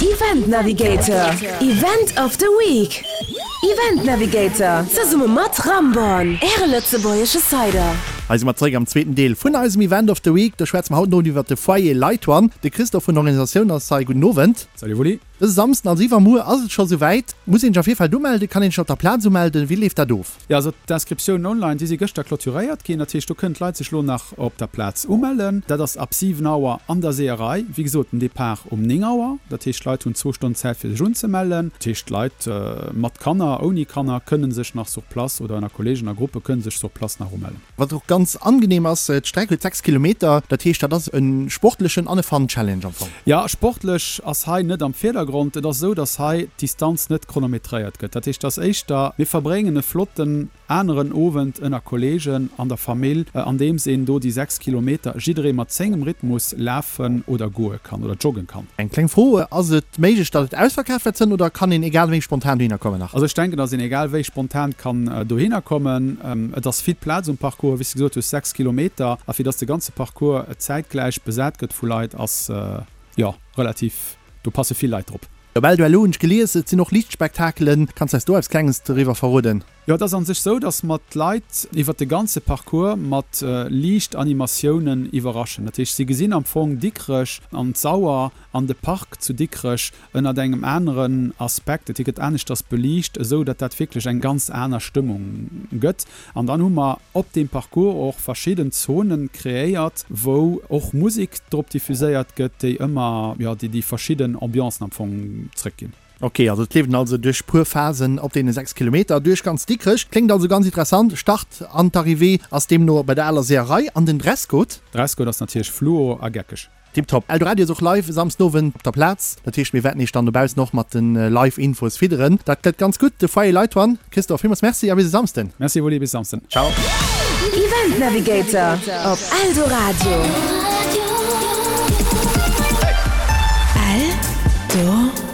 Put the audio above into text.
Event Navigator, Event of the Week! Event Navigator, zesumme mat Ramborn, Äre lëtzebuergesche Cider. Hei si mer zeréck am zweeten Deel vun eisem Event of the Week. Do schwätze mer haut den Owend iwwert de Foyer Light One. De Christophe vun der Organisatioun ass hei. Gudden Owend. Salut Wulli. Dëse Samsden, also iwwermuer, ass et scho souwäit. Muss een sech am Virfeld umelden? Kann een sech op der Plaz umelden? Wéi leeft dat of? Jo, also d'Inscriptiounen online, déi si gëschter clôturéiert ginn. Dat heescht, do kënnen d'Leit sech elo nach op der Plaz umellen. Dat ass ab 7 Auer an der Seeërei. Wéi gesot, den Depart um 9 Auer. Dat heescht, d'Leit hunn zwou Stonnen Zäit, fir sech unzemellen. Dat heescht, d'Leit mat Kanner, ouni Kanner kënne sech nach sur place oder ënner Kolleegen a Gruppe kënne sech sur place nach umellen. Wat och ganz angenehm ass, d'Streck huet 6 Kilometer, dat heescht dat ass e sportlechen an e Fun Challenge am Fong. Jo, sportlech ass hei net am Virdergrond. Et ass esou, dass hei d'Distanz net chronometréiert gëtt. Dat heescht, et ass éischter, mir verbréngen e flotten aneren Owend ënner Kolleegen an der Famill, andeems een do déi 6 Kilometer jidderee mat sengem Rhythmus lafen oder goe kann oder joggen kann. Eng kleng Fro, Ass et méiglech datt et ausverkaaft wäert sënn oder kann een egal wéi spontan dohinner kommen nach? Also ech denken datt een egal wéi spontan kann dohinner kommen. Et ass vill Plaz um Parcours, wéi s de gesot hues 6 Kilometer, a fir datt de ganze Parcours zäitgläich besat gëtt vu Leit ass jo relativ, do passe vill Leit drop. Op Eldoello hunn ech gelies, et sinn och Liichtspektakelen. Kanns de eis do eppes Klenges doriwwer verroden? Jo, et ass an sech sou, dass mer d'Leit iwwert de ganze Parcours mat Liichtanimatiounen iwwerraschen. Dat heescht, si gesinn am Fong Dikrech an d'Sauer an de Park zu Dikrech ënnert engem aneren Aspekt. Et gëtt aneschters beliicht, esou datt dat wierklech eng ganz aner Stëmmung gëtt. An dann hu mer op deem Parcours och verschidden Zonen kreéiert, wou och Musek drop diffuséiert gëtt, déi ëmmer, jo, déi déi verschidden Ambiancen am Fong zrëckginn. Ok, also et leeft een also duerch puer Phasen op deene 6 Kilometer duerch ganz Dikrech. Kléngt also ganz interessant. Start an d'Arrivée ass deemno bei der aler Seeërei. An den Dresscode? Dresscode ass natierlech fluo a geckeg. Tiptop. Eldoradio ass och live e Samsdenowend op der Plaz. Dat heescht mir wäerten iech dann dobaussen och mat de live Infos fidderen. Dat gëtt ganz gutt. De Foyer Light One. Christophe, villmools Merci a bis e Samsden. Merci Wulli, bis Samsden. Ciao. Event Navigator op Eldoradio. Eldoradio.